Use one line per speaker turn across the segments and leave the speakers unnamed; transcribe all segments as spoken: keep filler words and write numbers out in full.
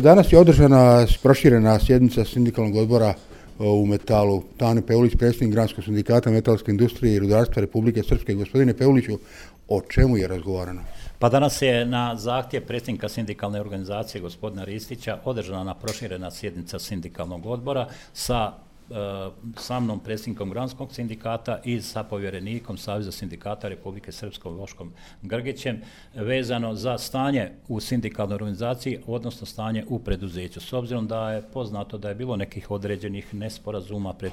Danas je održana proširena sjednica sindikalnog odbora u Metalu. Tane Peulić, predsjednik Granskog sindikata metalske industrije i rudarstva Republike Srpske. Gospodine Peuliću, o čemu je razgovarano?
Pa danas je na zahtjev predsjednika sindikalne organizacije gospodina Ristića održana proširena sjednica sindikalnog odbora sa sa mnom, predsjednikom Granskog sindikata i sa povjerenikom Saveza sindikata Republike Srpske Voškom Grgićem vezano za stanje u sindikalnoj organizaciji, odnosno stanje u preduzeću. S obzirom da je poznato da je bilo nekih određenih nesporazuma pred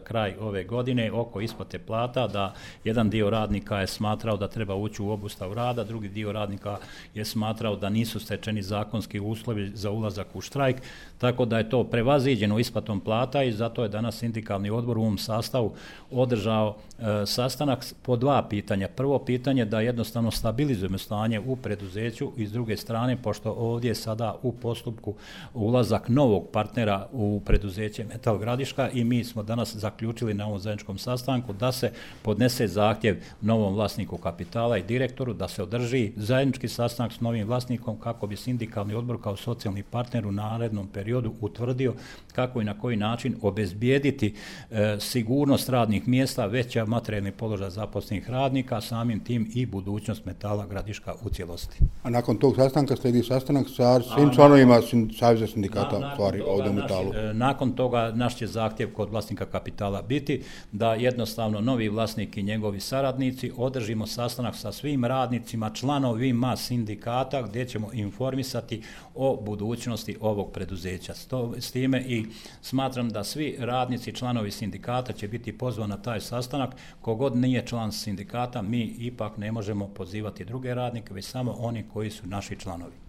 kraj ove godine oko isplate plata, da jedan dio radnika je smatrao da treba ući u obustavu rada, drugi dio radnika je smatrao da nisu stečeni zakonski uslovi za ulazak u štrajk, tako da je to prevaziđeno isplatom plata i zato je danas sindikalni odbor u ovom sastavu održao e, sastanak po dva pitanja. Prvo pitanje da jednostavno stabilizujemo stanje u preduzeću i s druge strane, pošto ovdje je sada u postupku ulazak novog partnera u preduzeće Metal Gradiška i mi smo danas zaključili na ovom zajedničkom sastanku da se podnese zahtjev novom vlasniku kapitala i direktoru da se održi zajednički sastanak s novim vlasnikom kako bi sindikalni odbor kao socijalni partner u narednom periodu utvrdio kako i na koji način obezbijediti e, sigurnost radnih mjesta, veća materijalni položaj zaposlenih radnika, samim tim i budućnost Metala Gradiška u cijelosti.
A nakon tog sastanka slijedi sastanak sa svim članovima Saveza sindikata
na,
stvari ovdje u Metalu.
Naš, nakon toga naš će zahtjev kod vlasnika kapitala biti da jednostavno novi vlasnik i njegovi saradnici održimo sastanak sa svim radnicima, članovima sindikata gdje ćemo informisati o budućnosti ovog preduzeća. S time i smatram da svi radnici, članovi sindikata će biti pozvani na taj sastanak. Kogod nije član sindikata, mi ipak ne možemo pozivati druge radnike, već samo oni koji su naši članovi.